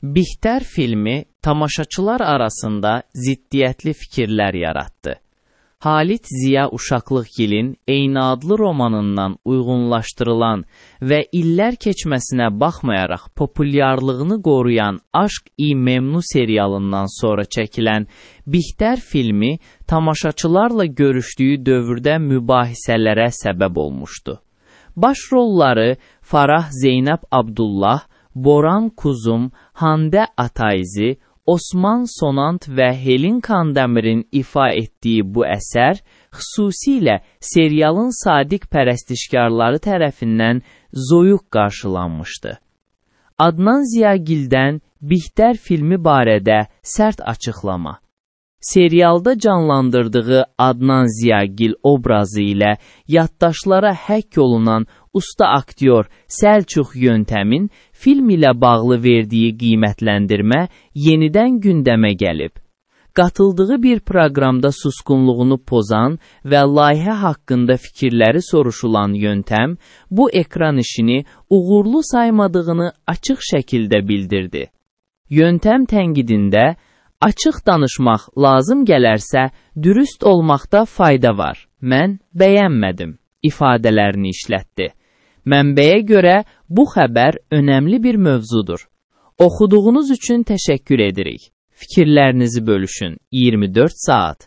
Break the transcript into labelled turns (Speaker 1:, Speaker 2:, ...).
Speaker 1: Bihter filmi tamaşaçılar arasında ziddiyyətli fikirlər yaratdı. Halit Ziya Uşaqlıgilin eyni adlı romanından uyğunlaşdırılan və illər keçməsinə baxmayaraq populyarlığını qoruyan Aşq-i Memnu serialından sonra çəkilən Bihter filmi tamaşaçılarla görüşdüyü dövrdə mübahisələrə səbəb olmuşdu. Başrolları Farah Zeynəb Abdullah, Boran Kuzum, Hande Atayzi, Osman Sonant və Helin Kandəmir'in ifa etdiyi bu əsər xüsusilə serialın sadiq pərəstişkarları tərəfindən zoyuq qarşılanmışdı. Adnan Ziyagildən Bihter filmi barədə sərt açıqlama. Serialda canlandırdığı Adnan Ziyagil obrazı ilə yaddaşlara həkk olunan usta aktyor Səlçux Yöntəmin film ilə bağlı verdiyi qiymətləndirmə yenidən gündəmə gəlib. Qatıldığı bir proqramda susqunluğunu pozan və layihə haqqında fikirləri soruşulan Yöntəm, bu ekran işini uğurlu saymadığını açıq şəkildə bildirdi. Yöntəm tənqidində, açıq danışmaq lazım gələrsə, dürüst olmaqda fayda var. Mən bəyənmədim ifadələrini işlətdi. Mənbəyə görə bu xəbər önəmli bir mövzudur. Oxuduğunuz üçün təşəkkür edirik. Fikirlərinizi bölüşün. 24 saat.